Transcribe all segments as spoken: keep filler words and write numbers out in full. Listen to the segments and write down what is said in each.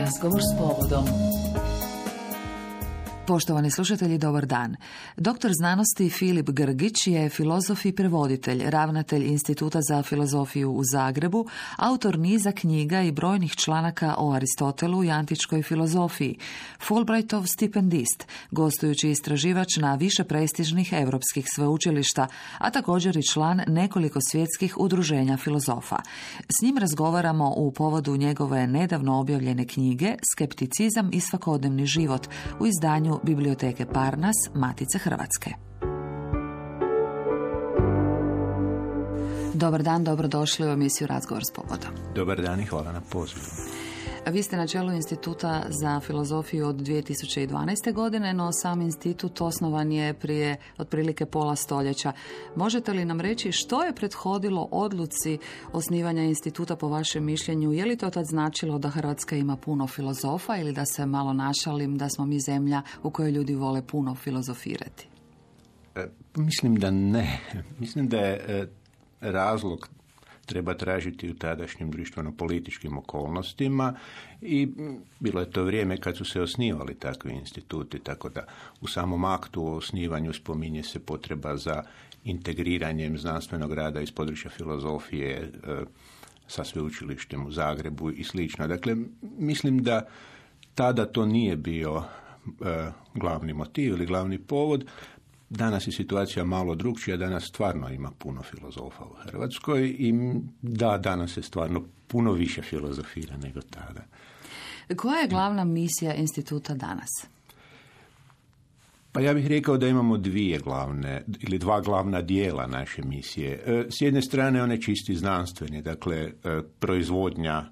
Razgovor s povodom. Poštovani slušatelji, dobar dan. Doktor znanosti Filip Grgić je filozof i prevoditelj, ravnatelj Instituta za filozofiju u Zagrebu, autor niza knjiga i brojnih članaka o Aristotelu i antičkoj filozofiji, Fulbrightov stipendist, gostujući istraživač na više prestižnih europskih sveučilišta, a također i član nekoliko svjetskih udruženja filozofa. S njim razgovaramo u povodu njegove nedavno objavljene knjige Skepticizam i svakodnevni život u izdanju Biblioteke Parnas, Matice Hrvatske. Dobar dan, dobrodošli u emisiju Razgovor s povodom. Dobar dan i hvala na pozivu. Vi ste na čelu Instituta za filozofiju od dvije tisuće dvanaeste. godine, no sam institut osnovan je prije otprilike pola stoljeća. Možete li nam reći što je prethodilo odluci osnivanja instituta po vašem mišljenju? Je li to tad značilo da Hrvatska ima puno filozofa ili da se malo našalim da smo mi zemlja u kojoj ljudi vole puno filozofirati? E, mislim da ne. Mislim da je e, razlog treba tražiti u tadašnjim društveno-političkim okolnostima i bilo je to vrijeme kad su se osnivali takvi instituti, tako da u samom aktu o osnivanju spominje se potreba za integriranjem znanstvenog rada iz područja filozofije e, sa sveučilištem u Zagrebu i slično. Dakle, mislim da tada to nije bio e, glavni motiv ili glavni povod. Danas je situacija malo drukčija, danas stvarno ima puno filozofa u Hrvatskoj i da, danas se stvarno puno više filozofira nego tada. Koja je glavna misija instituta danas? Pa ja bih rekao da imamo dvije glavne ili dva glavna dijela naše misije. S jedne strane one čisti znanstveni, dakle proizvodnja,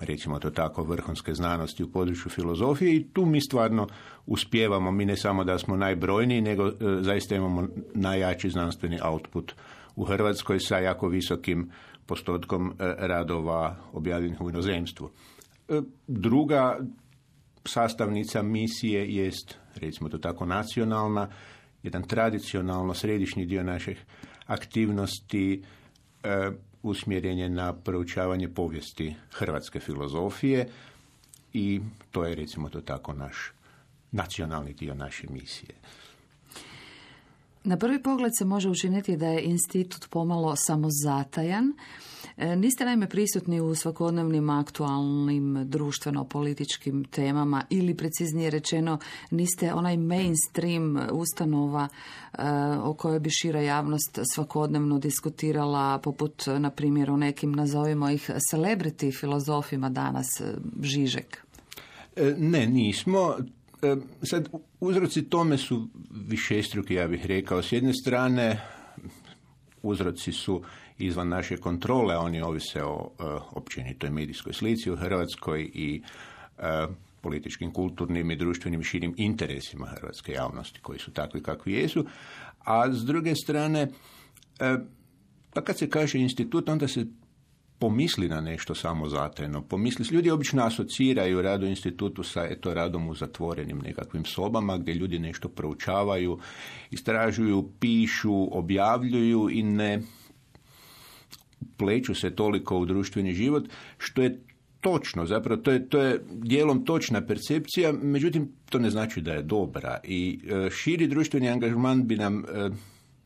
recimo to tako, vrhunske znanosti u području filozofije i tu mi stvarno uspijevamo. Mi ne samo da smo najbrojniji, nego e, zaista imamo najjači znanstveni output u Hrvatskoj sa jako visokim postotkom e, radova objavljenih u inozemstvu. E, druga sastavnica misije jest, recimo to tako, nacionalna, jedan tradicionalno središnji dio naših aktivnosti e, usmjeren je na proučavanje povijesti hrvatske filozofije i to je, recimo to tako, naš nacionalni dio naše misije. Na prvi pogled se može učiniti da je institut pomalo samozatajan. Niste naime prisutni u svakodnevnim aktualnim društveno-političkim temama ili, preciznije rečeno, niste onaj mainstream ustanova o kojoj bi šira javnost svakodnevno diskutirala, poput, na primjer, o nekim, nazovimo ih, celebrity filozofima danas, Žižek. Ne, nismo. Sad, uzroci tome su višestruki, ja bih rekao. S jedne strane, uzroci su izvan naše kontrole, oni ovise o uh, općenitoj medijskoj slici u Hrvatskoj i uh, političkim, kulturnim i društvenim širim interesima hrvatske javnosti, koji su takvi kakvi jesu. A s druge strane, uh, pa kad se kaže institut, onda se pomisli na nešto samozatajno. Pomisli, ljudi obično asociraju rad u institutu sa eto, radom u zatvorenim nekakvim sobama gdje ljudi nešto proučavaju, istražuju, pišu, objavljuju i ne pleću se toliko u društveni život, što je točno, zapravo to je, to je dijelom točna percepcija, međutim to ne znači da je dobra i e, širi društveni angažman bi nam e,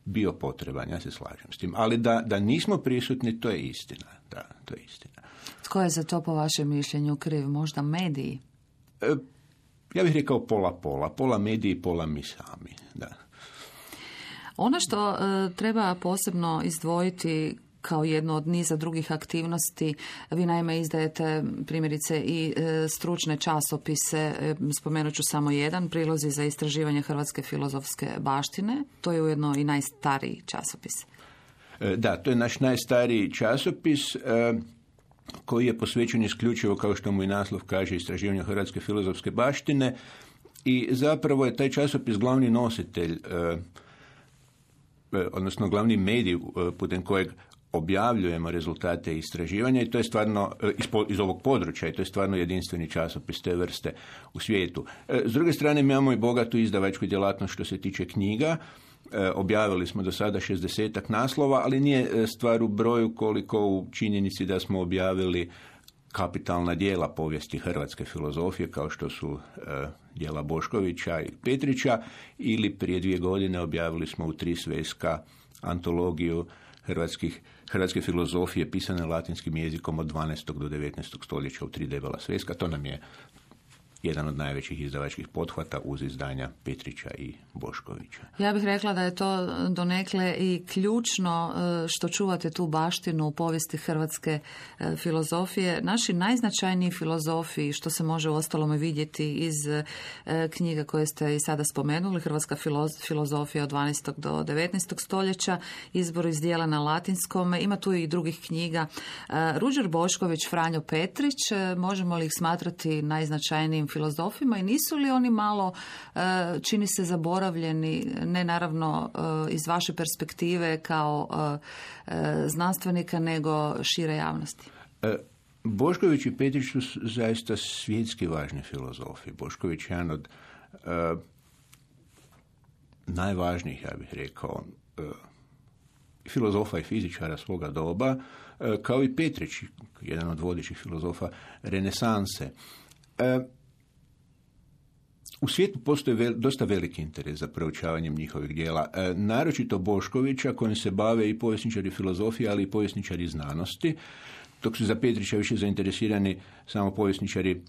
bio potreban, ja se slažem s tim, ali da, da nismo prisutni, to je istina. Da, to je istina. Tko je za to po vašem mišljenju kriv? Možda mediji? E, ja bih rekao pola-pola. Pola mediji, pola mi sami. Da. Ono što e, treba posebno izdvojiti kao jedno od niza drugih aktivnosti, vi naime izdajete primjerice i e, stručne časopise, e, spomenut ću samo jedan, Prilozi za istraživanje hrvatske filozofske baštine, to je ujedno i najstariji časopis. E, da, to je naš najstariji časopis e, koji je posvećen isključivo, kao što mu i naslov kaže, istraživanju hrvatske filozofske baštine i zapravo je taj časopis glavni nositelj, e, odnosno glavni medij e, putem kojeg objavljujemo rezultate istraživanja i to je stvarno iz, iz ovog područja i to je stvarno jedinstveni časopis te vrste u svijetu. S druge strane, mi imamo i bogatu izdavačku djelatnost što se tiče knjiga. Objavili smo do sada šezdesetak naslova, ali nije stvar u broju koliko u činjenici da smo objavili kapitalna dijela povijesti hrvatske filozofije, kao što su e, djela Boškovića i Petrića, ili prije dvije godine objavili smo u tri sveska antologiju hrvatskih, hrvatske filozofije pisane latinskim jezikom od dvanaestog do devetnaestog stoljeća u tri debela sveska. To nam je jedan od najvećih izdavačkih pothvata uz izdanja Petrića i Boškovića. Ja bih rekla da je to donekle i ključno što čuvate tu baštinu u povijesti hrvatske filozofije. Naši najznačajniji filozofi, što se može uostalom vidjeti iz knjiga koje ste i sada spomenuli, Hrvatska filozofija od dvanaestog do devetnaestog stoljeća, izbor iz dijela na latinskom, ima tu i drugih knjiga. Ruđer Bošković, Franjo Petrić, možemo li ih smatrati najznačajnijim filozofima i nisu li oni malo, čini se, zaboravljeni, ne naravno iz vaše perspektive kao znanstvenika, nego šire javnosti? Bošković i Petrić su zaista svjetski važni filozofi. Bošković je jedan od uh, najvažnijih, ja bih rekao, uh, filozofa i fizičara svoga doba, uh, kao i Petrić, jedan od vodećih filozofa renesanse. Uh, U svijetu postoji vel, dosta veliki interes za proučavanjem njihovih djela, e, naročito Boškovića, kojim se bave i povjesničari filozofije, ali i povjesničari znanosti, dok su za Petrića više zainteresirani samo povjesničari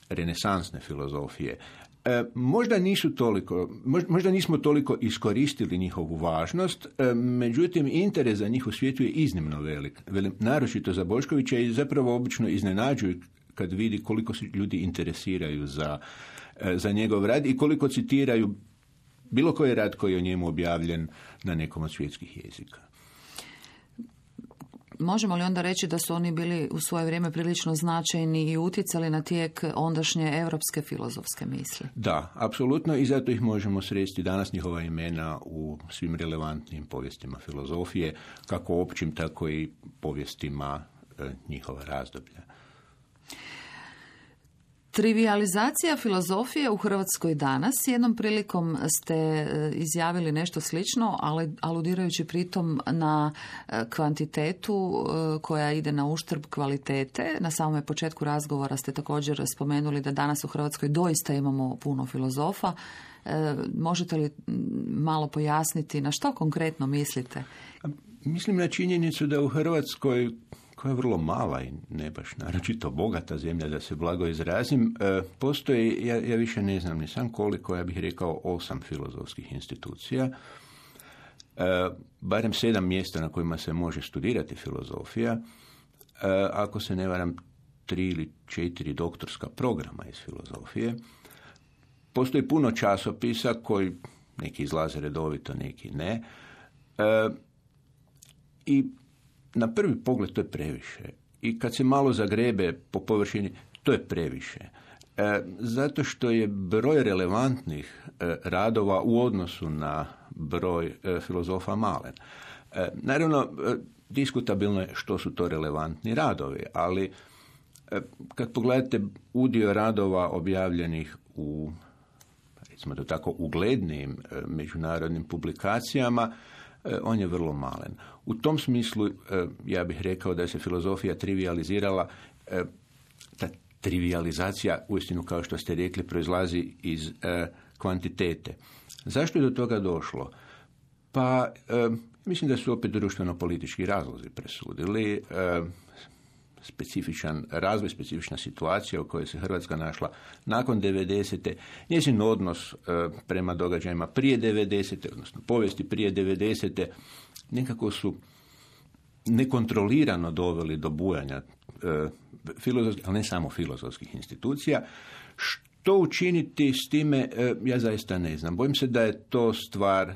renesansne filozofije. E, možda nisu toliko, možda nismo toliko iskoristili njihovu važnost, e, međutim interes za njih u svijetu je iznimno velik, velik, naročito za Boškovića, i zapravo obično iznenađuju kad vidi koliko se ljudi interesiraju za za njegov rad i koliko citiraju bilo koji rad koji je o njemu objavljen na nekom od svjetskih jezika. Možemo li onda reći da su oni bili u svoje vrijeme prilično značajni i utjecali na tijek ondašnje europske filozofske misli? Da, apsolutno, i zato ih možemo sresti danas, njihova imena, u svim relevantnim povijestima filozofije, kako općim, tako i povijestima e, njihova razdoblja. Trivializacija filozofije u Hrvatskoj danas. Jednom prilikom ste izjavili nešto slično, ali aludirajući pritom na kvantitetu koja ide na uštrb kvalitete. Na samom početku razgovora ste također spomenuli da danas u Hrvatskoj doista imamo puno filozofa. Možete li malo pojasniti na što konkretno mislite? Mislim na činjenicu da u Hrvatskoj, koja je vrlo mala i ne baš naročito bogata zemlja, da se blago izrazim, postoji, ja, ja više ne znam ni sam koliko, ja bih rekao osam filozofskih institucija, barem sedam mjesta na kojima se može studirati filozofija, ako se ne varam tri ili četiri doktorska programa iz filozofije. Postoji puno časopisa koji neki izlaze redovito, neki ne. I na prvi pogled to je previše. I kad se malo zagrebe po površini, to je previše. E, zato što je broj relevantnih e, radova u odnosu na broj e, filozofa malen. E, naravno, e, diskutabilno je što su to relevantni radovi, ali e, kad pogledate udio radova objavljenih u, recimo to tako, uglednim e, međunarodnim publikacijama, on je vrlo malen. U tom smislu ja bih rekao da se filozofija trivializirala. Ta trivializacija, uistinu kao što ste rekli, proizlazi iz kvantitete. Zašto je do toga došlo? Pa mislim da su opet društveno-politički razlozi presudili. Specifičan razvoj, specifična situacija u kojoj se Hrvatska našla nakon devedesete, njezin odnos e, prema događajima prije devedesete, odnosno povijesti prije devedesete, nekako su nekontrolirano doveli do bujanja e, filozofskih, ali ne samo filozofskih institucija. Što učiniti s time, e, ja zaista ne znam. Bojim se da je to stvar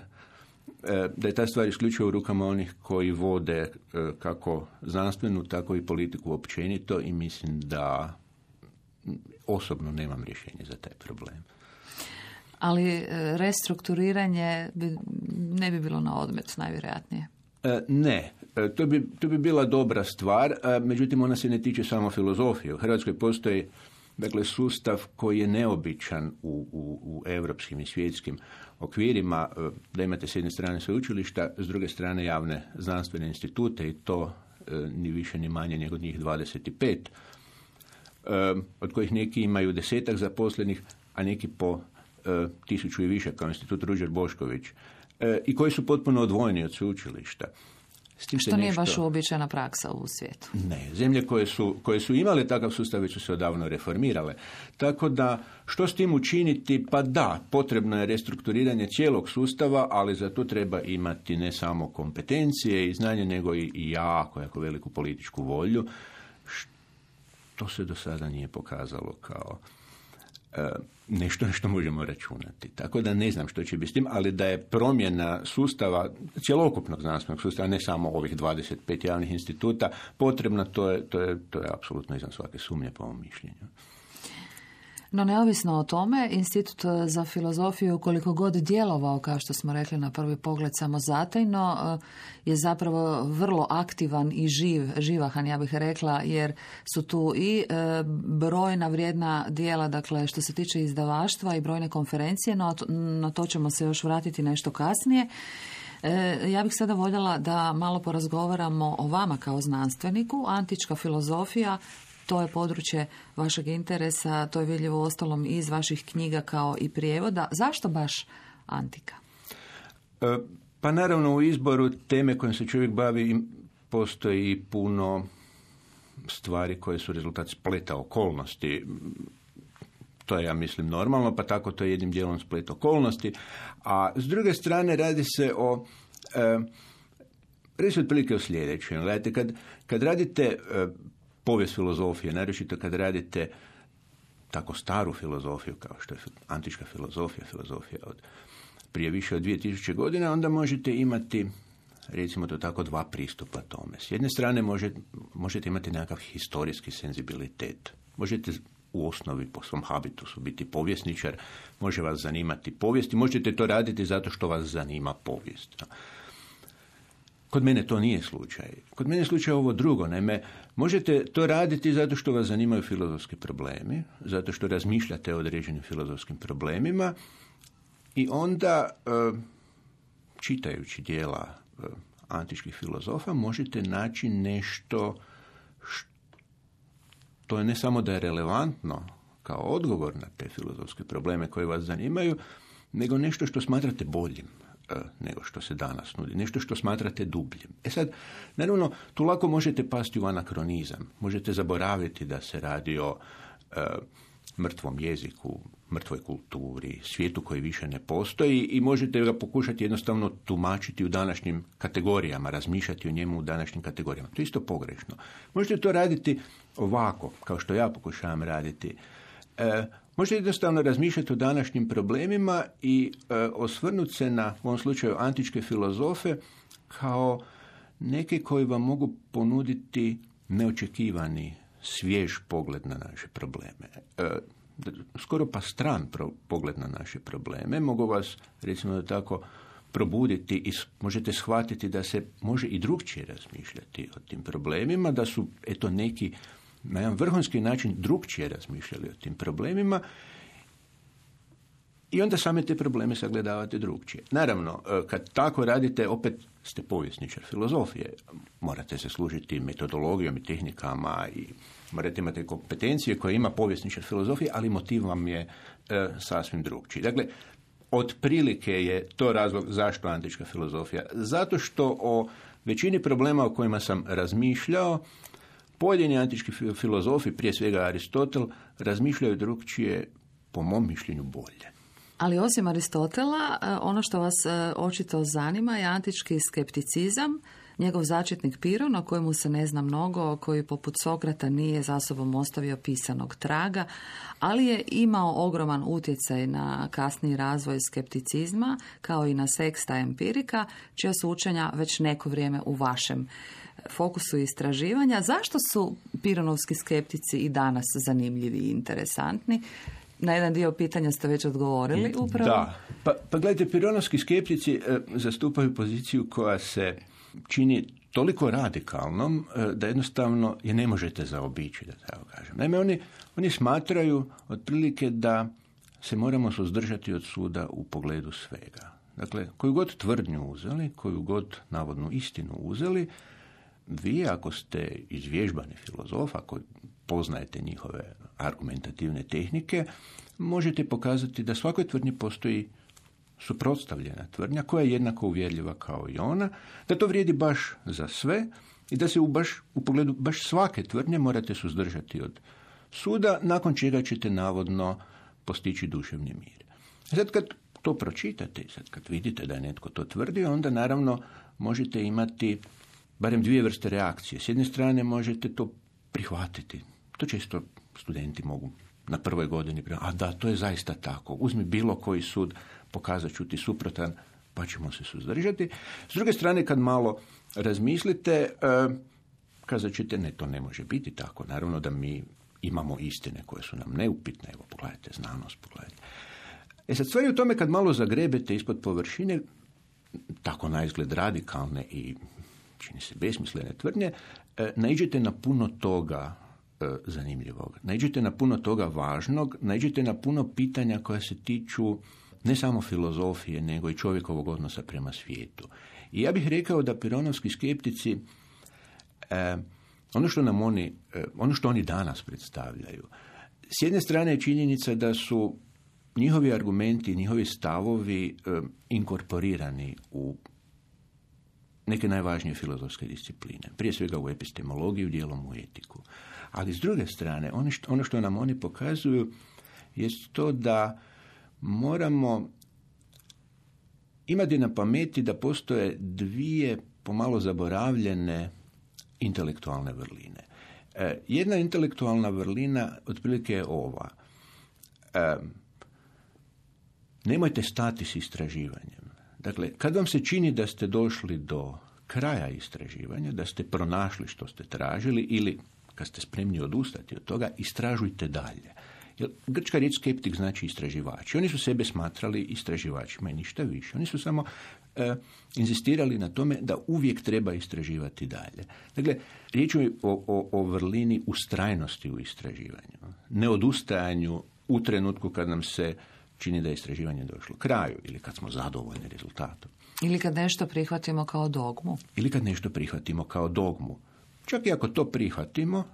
da je ta stvar isključivo u rukama onih koji vode kako znanstvenu, tako i politiku općenito, i mislim da osobno nemam rješenje za taj problem. Ali restrukturiranje bi, ne bi bilo na odmet, najvjerojatnije. Ne, to bi, to bi bila dobra stvar, međutim ona se ne tiče samo filozofije. U Hrvatskoj postoji, dakle, sustav koji je neobičan u, u, u europskim i svjetskim okvirima, da imate s jedne strane sveučilišta, s druge strane javne znanstvene institute, i to e, ni više ni manje nego njih dvadeset pet. od kojih neki imaju desetak zaposlenih, a neki po tisuću i više, kao institut Ruđer Bošković, i koji su potpuno odvojeni od sveučilišta. S tim što nije nešto... baš uobičajena praksa u svijetu. Ne, zemlje koje su, koje su imale takav sustav već su se odavno reformirale. Tako da, što s tim učiniti? Pa da, potrebno je restrukturiranje cijelog sustava, ali za to treba imati ne samo kompetencije i znanje, nego i jako, jako veliku političku volju, što se do sada nije pokazalo kao nešto na što možemo računati. Tako da ne znam što će biti s tim, ali da je promjena sustava, cjelokupnog znanstvenog sustava, ne samo ovih dvadeset pet javnih instituta, potrebna, to je, to je, to je apsolutno izvan svake sumnje po mom mišljenju. No neovisno o tome, Institut za filozofiju, koliko god djelovao, kao što smo rekli na prvi pogled, samozatajno, je zapravo vrlo aktivan i živ, živahan, ja bih rekla, jer su tu i brojna vrijedna djela, dakle, što se tiče izdavaštva i brojne konferencije, no na to ćemo se još vratiti nešto kasnije. Ja bih sada voljela da malo porazgovaramo o vama kao znanstveniku. Antička filozofija, to je područje vašeg interesa, to je vidljivo ostalom iz vaših knjiga kao i prijevoda. Zašto baš antika? E, pa naravno u izboru teme kojim se čovjek bavi postoji puno stvari koje su rezultat spleta okolnosti. To je, ja mislim, normalno, pa tako to je jednim dijelom splet okolnosti. A s druge strane radi se o... E, radi se otprilike o sljedećem. Gledajte, kad, kad radite... E, povijest filozofije, naročito kad radite tako staru filozofiju kao što je antička filozofija, filozofija od prije više od dvije tisuće godina, onda možete imati, recimo to tako, dva pristupa tome. S jedne strane možete, možete imati nekakav historijski senzibilitet. Možete u osnovi po svom habitusu biti povjesničar, može vas zanimati povijest i možete to raditi zato što vas zanima povijest. Kod mene to nije slučaj. Kod mene je slučaj ovo drugo. Naime, možete to raditi zato što vas zanimaju filozofski problemi, zato što razmišljate o određenim filozofskim problemima i onda, čitajući djela antičkih filozofa, možete naći nešto što je ne samo da je relevantno kao odgovor na te filozofske probleme koje vas zanimaju, nego nešto što smatrate boljim nego što se danas nudi. Nešto što smatrate dubljim. E sad, naravno, tu lako možete pasti u anakronizam. Možete zaboraviti da se radi o e, mrtvom jeziku, mrtvoj kulturi, svijetu koji više ne postoji i možete ga pokušati jednostavno tumačiti u današnjim kategorijama, razmišljati o njemu u današnjim kategorijama. To je isto pogrešno. Možete to raditi ovako, kao što ja pokušavam raditi. E, Možete jednostavno razmišljati o današnjim problemima i e, osvrnuti se na, u ovom slučaju, antičke filozofe kao neke koji vam mogu ponuditi neočekivani, svjež pogled na naše probleme. E, skoro pa stran pro, pogled na naše probleme. Mogu vas, recimo da tako, probuditi i možete shvatiti da se može i drugčije razmišljati o tim problemima, da su, eto, neki na jedan vrhunski način drugčije razmišljali o tim problemima i onda same te probleme sagledavate drugčije. Naravno, kad tako radite, opet ste povjesničar filozofije. Morate se služiti metodologijom i tehnikama i morate imati kompetencije koje ima povjesničar filozofije, ali motiv vam je e, sasvim drugčiji. Dakle, otprilike je to razlog zašto antička filozofija. Zato što o većini problema o kojima sam razmišljao, pojedini antički filozofi, prije svega Aristotel, razmišljaju drugčije, po mom mišljenju, bolje. Ali osim Aristotela, ono što vas očito zanima je antički skepticizam, njegov začetnik Piron, o kojemu se ne zna mnogo, koji poput Sokrata nije za sobom ostavio pisanog traga, ali je imao ogroman utjecaj na kasniji razvoj skepticizma, kao i na Sexta Empirika, čija su učenja već neko vrijeme u vašem fokusu istraživanja. Zašto su pironovski skeptici i danas zanimljivi i interesantni? Na jedan dio pitanja ste već odgovorili upravo. Da, pa, pa gledajte, pironovski skeptici e, zastupaju poziciju koja se čini toliko radikalnom e, da jednostavno je ne možete zaobići, da tako kažem. Naime, oni, oni smatraju otprilike da se moramo suzdržati od suda u pogledu svega. Dakle, koju god tvrdnju uzeli, koju god navodnu istinu uzeli, vi, ako ste izvježbani filozof, ako poznajete njihove argumentativne tehnike, možete pokazati da svakoj tvrdnji postoji suprotstavljena tvrdnja koja je jednako uvjerljiva kao i ona, da to vrijedi baš za sve i da se u, baš, u pogledu baš svake tvrdnje morate suzdržati od suda, nakon čega ćete navodno postići duševni mir. Sad kad to pročitate, sad kad vidite da je netko to tvrdio, onda naravno možete imati barem dvije vrste reakcije. S jedne strane možete to prihvatiti. To često studenti mogu na prvoj godini, a da, to je zaista tako. Uzmi bilo koji sud, pokazat ću ti suprotan, pa ćemo se suzdržati. S druge strane, kad malo razmislite, e, kazat ćete, ne, to ne može biti tako. Naravno da mi imamo istine koje su nam neupitne. Evo, pogledajte znanost, pogledajte. E sad, stvar je u tome kad malo zagrebete ispod površine, tako na izgled radikalne i čini se besmislene tvrdnje, e, naiđete na puno toga e, zanimljivog. Naiđete na puno toga važnog, naiđete na puno pitanja koja se tiču ne samo filozofije, nego i čovjekovog odnosa prema svijetu. I ja bih rekao da pironovski skeptici, e, ono što nam oni, e, ono što oni danas predstavljaju, s jedne strane je činjenica da su njihovi argumenti, njihovi stavovi e, inkorporirani u neke najvažnije filozofske discipline. Prije svega u epistemologiju, dijelom u etiku. Ali s druge strane, ono što, ono što nam oni pokazuju je to da moramo imati na pameti da postoje dvije pomalo zaboravljene intelektualne vrline. E, jedna intelektualna vrlina otprilike je ova. E, nemojte stati s istraživanjem. Dakle, kad vam se čini da ste došli do kraja istraživanja, da ste pronašli što ste tražili ili kad ste spremni odustati od toga, istražujte dalje. Jer grčka riječ skeptik znači istraživači. Oni su sebe smatrali istraživačima i ništa više. Oni su samo e, inzistirali na tome da uvijek treba istraživati dalje. Dakle, riječ je o, o, o vrlini ustrajnosti u istraživanju. Neodustajanju u trenutku kad nam se čini da je istraživanje došlo kraju ili kad smo zadovoljni rezultatom. Ili kad nešto prihvatimo kao dogmu. Ili kad nešto prihvatimo kao dogmu. Čak i ako to prihvatimo,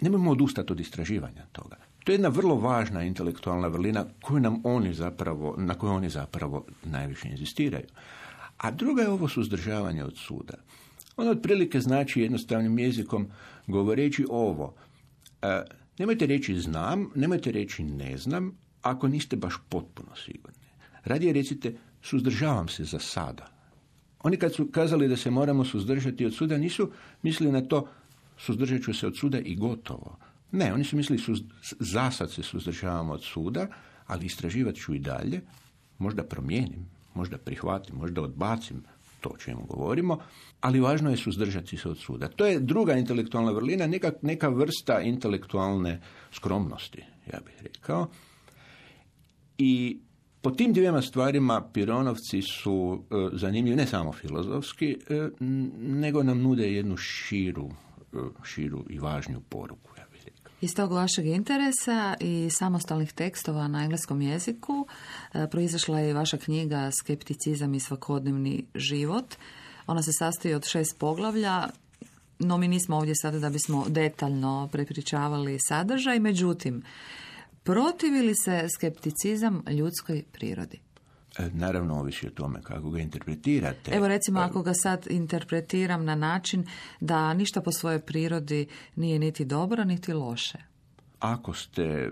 nemojmo odustati od istraživanja toga. To je jedna vrlo važna intelektualna vrlina koju nam oni zapravo, na koju oni zapravo najviše inzistiraju. A druga je ovo suzdržavanje od suda. Ono otprilike znači jednostavnim jezikom govoreći ovo. E, nemojte reći znam, nemojte reći ne znam, ako niste baš potpuno sigurni. Radije recite suzdržavam se za sada. Oni kad su kazali da se moramo suzdržati od suda, nisu mislili na to suzdržat ću se od suda i gotovo. Ne, oni su mislili suz, za sad se suzdržavamo od suda, ali istraživat ću i dalje, možda promijenim, možda prihvatim, možda odbacim to o čemu govorimo, ali važno je suzdržati se od suda. To je druga intelektualna vrlina, neka, neka vrsta intelektualne skromnosti, ja bih rekao. I po tim dvijema stvarima Pironovci su e, zanimljivi ne samo filozofski, e, nego nam nude jednu širu, e, širu i važniju poruku, ja bih rekao. Iz tog vašeg interesa i samostalnih tekstova na engleskom jeziku e, proizašla je vaša knjiga Skepticizam i svakodnevni život. Ona se sastoji od šest poglavlja, no mi nismo ovdje sada da bismo detaljno prepričavali sadržaj, međutim, protivi li se skepticizam ljudskoj prirodi? Naravno, ovisi o tome kako ga interpretirate. Evo recimo, ako ga sad interpretiram na način da ništa po svojoj prirodi nije niti dobro, niti loše. Ako ste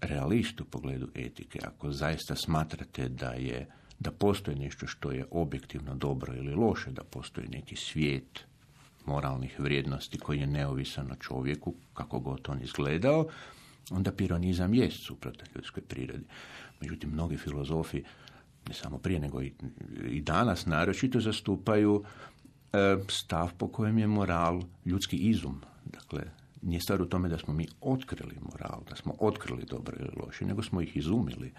realist u pogledu etike, ako zaista smatrate da je da postoji nešto što je objektivno dobro ili loše, da postoji neki svijet moralnih vrijednosti koji je neovisan o čovjeku, kako god on izgledao, onda pironizam jest suprotan ljudskoj prirodi. Međutim, mnogi filozofi, ne samo prije, nego i, i danas, naročito zastupaju e, stav po kojem je moral ljudski izum. Dakle, nije stvar u tome da smo mi otkrili moral, da smo otkrili dobro ili loše, nego smo ih izumili.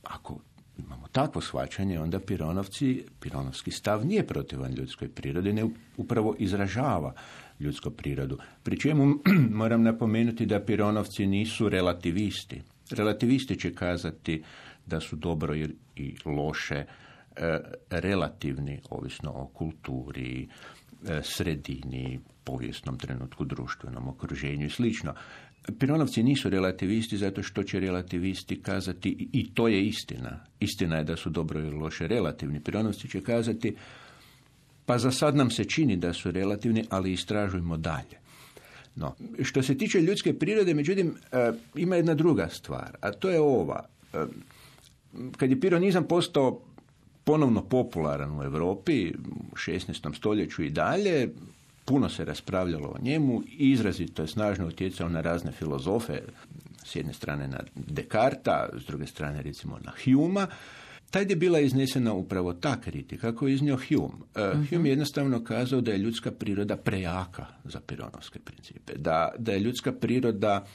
Ako imamo takvo shvaćanje, onda Pironovci, Pironovski stav nije protivan ljudskoj prirodi, ne upravo izražava ljudsku prirodu. Pri čemu moram napomenuti da Pironovci nisu relativisti. Relativisti će kazati da su dobro i loše e, relativni, ovisno o kulturi, sredini, povijesnom trenutku, društvenom okruženju i slično. Pironovci nisu relativisti zato što će relativisti kazati, i to je istina, istina je da su dobro ili loše relativni. Pironovci će kazati, pa za sad nam se čini da su relativni, ali istražujmo dalje. No, što se tiče ljudske prirode, međutim, ima jedna druga stvar, a to je ova. Kad je pironizam postao ponovno popularan u Europi, u šesnaestom stoljeću i dalje, puno se raspravljalo o njemu, izrazito je snažno utjecao na razne filozofe, s jedne strane na Descartesa, s druge strane recimo na Humea. Tad je bila iznesena upravo ta kritika koju je iznio Hume. Uh, uh-huh. Hume je jednostavno kazao da je ljudska priroda prejaka za pironovske principe, da, da je ljudska priroda,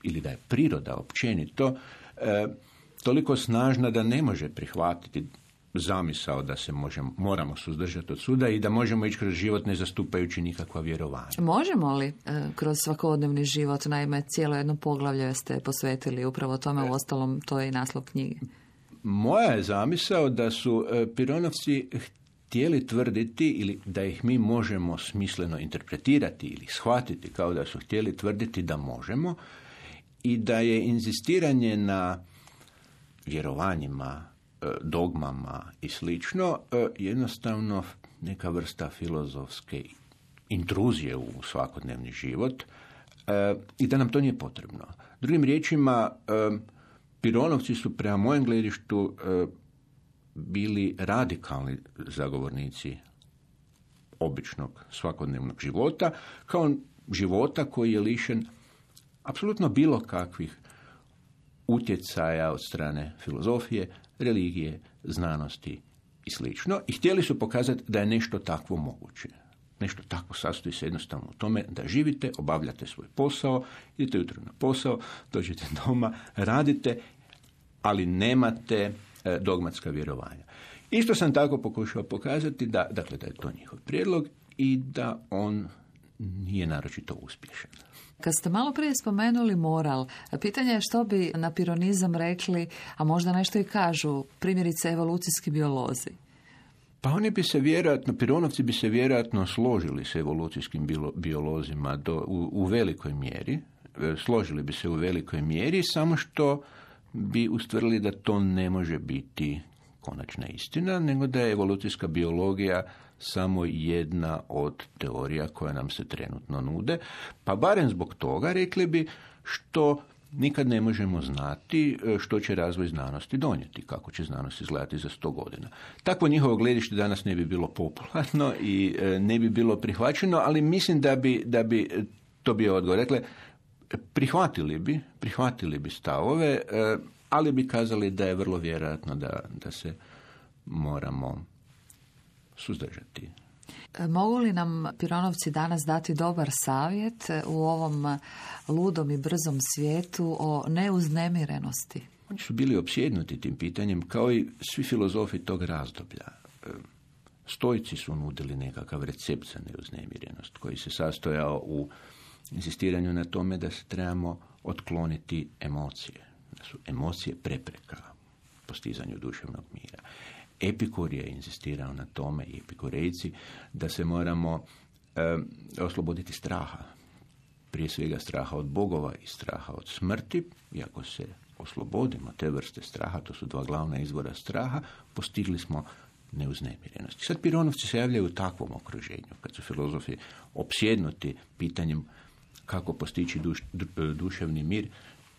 ili da je priroda općenito, uh, toliko snažna da ne može prihvatiti zamisao da se možemo, moramo suzdržati od suda i da možemo ići kroz život ne zastupajući nikakva vjerovanja. Možemo li e, kroz svakodnevni život, naime cijelo jedno poglavlje ste posvetili upravo tome, u ostalom to je i naslov knjige. Moja je zamisao da su e, Pironovci htjeli tvrditi ili da ih mi možemo smisleno interpretirati ili shvatiti kao da su htjeli tvrditi da možemo i da je inzistiranje na vjerovanjima, dogmama i slično, jednostavno neka vrsta filozofske intruzije u svakodnevni život i da nam to nije potrebno. Drugim riječima, Pironovci su prema mojem gledištu bili radikalni zagovornici običnog svakodnevnog života, kao života koji je lišen apsolutno bilo kakvih utjecaja od strane filozofije, religije, znanosti i slično. I htjeli su pokazati da je nešto takvo moguće. Nešto takvo sastoji se jednostavno u tome da živite, obavljate svoj posao, idete jutro na posao, dođete doma, radite, ali nemate e, dogmatska vjerovanja. Isto sam tako pokušao pokazati da, dakle, da je to njihov prijedlog i da on nije naročito uspješan. Kad ste malo prije spomenuli moral, pitanje je što bi na pironizam rekli, a možda nešto i kažu, primjerice evolucijski biolozi. Pa oni bi se vjerojatno, Pironovci bi se vjerojatno složili s evolucijskim biolozima do, u, u velikoj mjeri, složili bi se u velikoj mjeri, samo što bi ustvrdili da to ne može biti konačna istina, nego da je evolucijska biologija samo jedna od teorija koja nam se trenutno nude, pa barem zbog toga rekli bi što nikad ne možemo znati što će razvoj znanosti donijeti, kako će znanost izgledati za sto godina. Takvo njihovo gledište danas ne bi bilo popularno i ne bi bilo prihvaćeno, ali mislim da bi, da bi to bio odgovor. Rekle, prihvatili bi, prihvatili bi stavove, ali bi kazali da je vrlo vjerojatno da, da se moramo suzdržati. Mogu li nam Pironovci danas dati dobar savjet u ovom ludom i brzom svijetu o neuznemirenosti? Oni su bili opsjednuti tim pitanjem kao i svi filozofi tog razdoblja. Stoici su nudili nekakav recept za neuznemirenost koji se sastojao u insistiranju na tome da se trebamo otkloniti emocije. Da su emocije prepreka postizanju duševnog mira. Epikur je insistirao na tome, i epikurejci, da se moramo e, osloboditi straha. Prije svega straha od bogova i straha od smrti. I ako se oslobodimo te vrste straha, to su dva glavna izvora straha, postigli smo neuznemirenost. Sad Pironovci se javljaju u takvom okruženju, kad su filozofi opsjednuti pitanjem kako postići duš, duševni mir.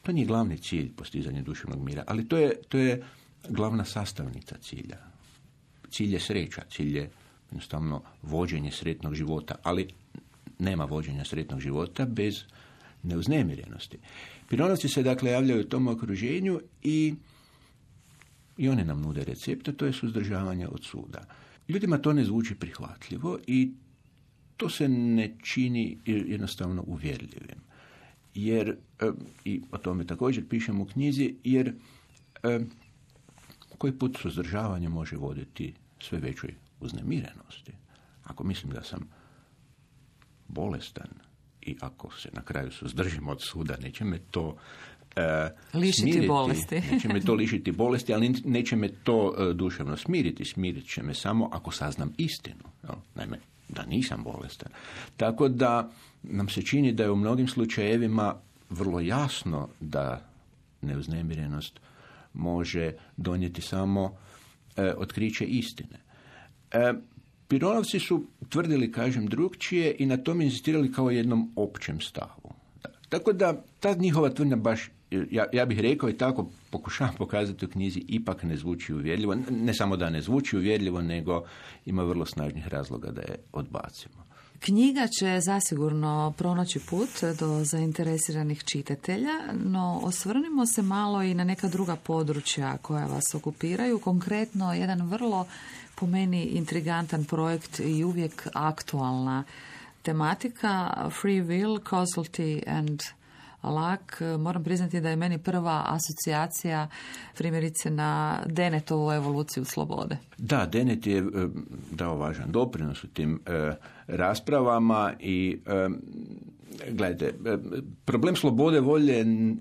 To nije glavni cilj postizanja duševnog mira, ali to je, to je glavna sastavnica cilja. Cilj je sreća, cilj je jednostavno vođenje sretnog života, ali nema vođenja sretnog života bez neuznemirenosti. Pironovci se dakle javljaju u tom okruženju i, i one nam nude recepte, to je suzdržavanje od suda. Ljudima to ne zvuči prihvatljivo i to se ne čini jednostavno uvjerljivim. Jer, i o tome također pišem u knjizi, jer koji put suzdržavanje može voditi sve većoj uznemirenosti. Ako mislim da sam bolestan i ako se na kraju suzdržim od suda, neće me to e, lišiti smiriti, bolesti. Neće me to lišiti bolesti, ali neće me to e, duševno smiriti. Smirit će me samo ako saznam istinu. No, naime, da nisam bolestan. Tako da nam se čini da je u mnogim slučajevima vrlo jasno da neuznemirenost može donijeti samo e, otkriće istine. E, Pironovci su tvrdili, kažem, drugčije i na tome inzistirali kao jednom općem stavu. Da. Tako da ta njihova tvrdnja baš, ja, ja bih rekao i tako pokušavam pokazati u knjizi, ipak ne zvuči uvjerljivo. Ne samo da ne zvuči uvjerljivo, nego ima vrlo snažnih razloga da je odbacimo. Knjiga će zasigurno pronaći put do zainteresiranih čitatelja, no osvrnimo se malo i na neka druga područja koja vas okupiraju. Konkretno, jedan vrlo, po meni, intrigantan projekt i uvijek aktualna tematika, Free Will, Causality and Luck. Moram priznati da je meni prva asocijacija primjerice na Denetovu evoluciju slobode. Da, Dennett je dao važan doprinos u tim e, raspravama i e, gledajte, e, problem slobode volje je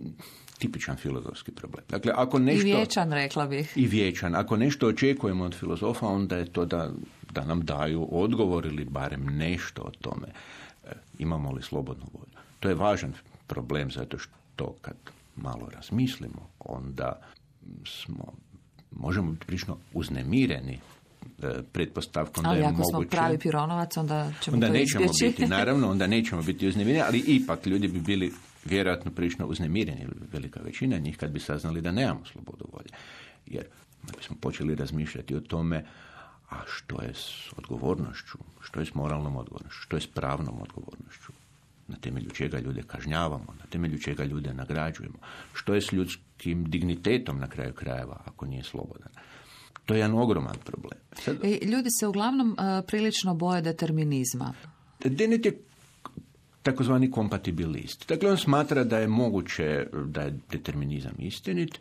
tipičan filozofski problem. Dakle, ako nešto, I vječan, rekla bih. I vječan. Ako nešto očekujemo od filozofa, onda je to da, da nam daju odgovor ili barem nešto o tome. E, imamo li slobodnu volju? To je važan problem zato što kad malo razmislimo, onda smo, možemo biti prilično uznemireni e, pretpostavkom ali da je moguće. Ali ako smo pravi Pironovac, onda ćemo onda to nećemo izbjeći. biti, naravno, onda nećemo biti uznemireni, ali ipak ljudi bi bili vjerojatno prilično uznemireni, velika većina njih, kad bi saznali da nemamo slobodu volje. Jer bismo počeli razmišljati o tome, a što je s odgovornošću, što je s moralnom odgovornošću, što je s pravnom odgovornošću, na temelju čega ljude kažnjavamo, na temelju čega ljude nagrađujemo, što je s ljudskim dignitetom na kraju krajeva ako nije slobodan. To je jedan ogroman problem. Sad, I ljudi se uglavnom uh, prilično boje determinizma. Dennett je takozvani kompatibilist. Dakle, on smatra da je moguće da je determinizam istinit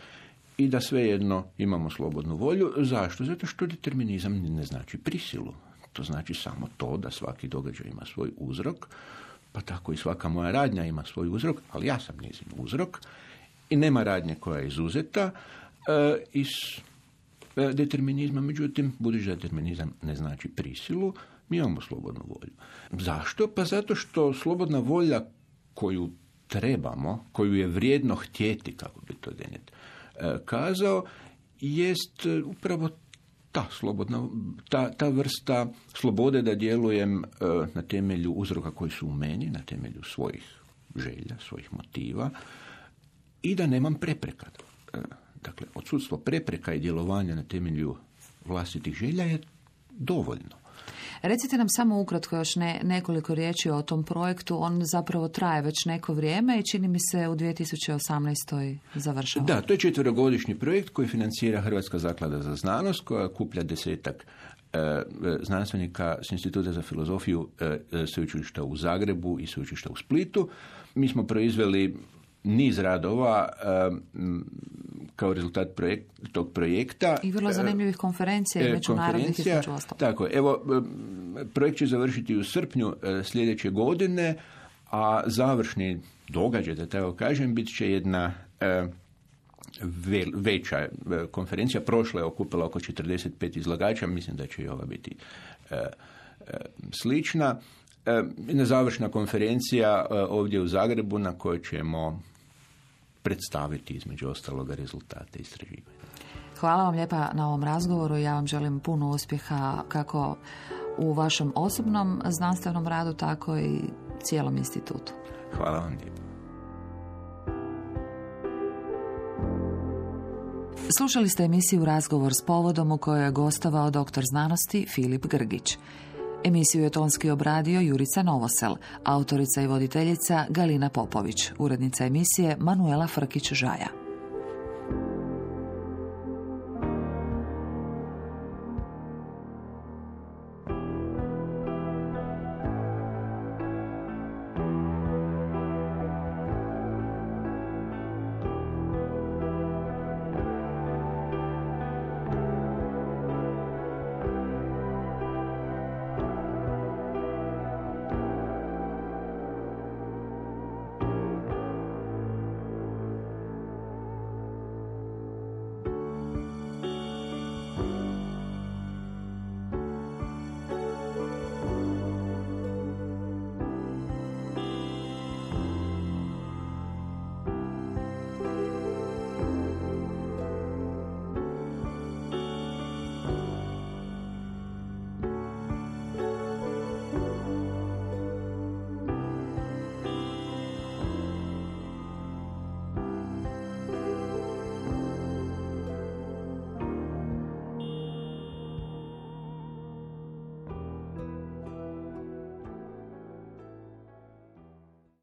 i da svejedno imamo slobodnu volju. Zašto? Zato što determinizam ne znači prisilu. To znači samo to da svaki događaj ima svoj uzrok, pa tako i svaka moja radnja ima svoj uzrok, ali ja sam njezin uzrok i nema radnje koja je izuzeta e, iz e, determinizma. Međutim, budući da determinizam ne znači prisilu, mi imamo slobodnu volju. Zašto? Pa zato što slobodna volja koju trebamo, koju je vrijedno htjeti, kako bi to Dennett e, kazao, jest upravo ta slobodna, ta, ta vrsta slobode da djelujem e, na temelju uzroka koji su u meni, na temelju svojih želja, svojih motiva i da nemam prepreka. E, dakle, odsudstvo prepreka i djelovanja na temelju vlastitih želja je dovoljno. Recite nam samo ukratko još ne, nekoliko riječi o tom projektu. On zapravo traje već neko vrijeme i čini mi se u dvije tisuće osamnaestoj završava. Da, to je četverogodišnji projekt koji financira Hrvatska zaklada za znanost, koja kuplja desetak e, znanstvenika s Instituta za filozofiju e, sveučilišta u Zagrebu i sveučilišta u Splitu. Mi smo proizveli niz radova e, kao rezultat projekt, tog projekta. I vrlo zanimljivih konferencija i međunarodnih između ostalog. Tako, evo, projekt će završiti u srpnju sljedeće godine, a završni događaj, da tako kažem, bit će jedna e, ve, veća konferencija. Prošla je okupila oko četrdeset pet izlagača, mislim da će i ova biti e, e, slična. E, jedna završna konferencija e, ovdje u Zagrebu na kojoj ćemo predstaviti između ostaloga rezultate istraživanja. Hvala vam lijepa na ovom razgovoru. Ja vam želim puno uspjeha kako u vašem osobnom znanstvenom radu, tako i cijelom institutu. Hvala vam lijepo. Slušali ste emisiju Razgovor s povodom u kojoj je gostovao doktor znanosti Filip Grgić. Emisiju je tonski obradio Jurica Novosel, autorica i voditeljica Galina Popović, urednica emisije Manuela Frkić-Žaja.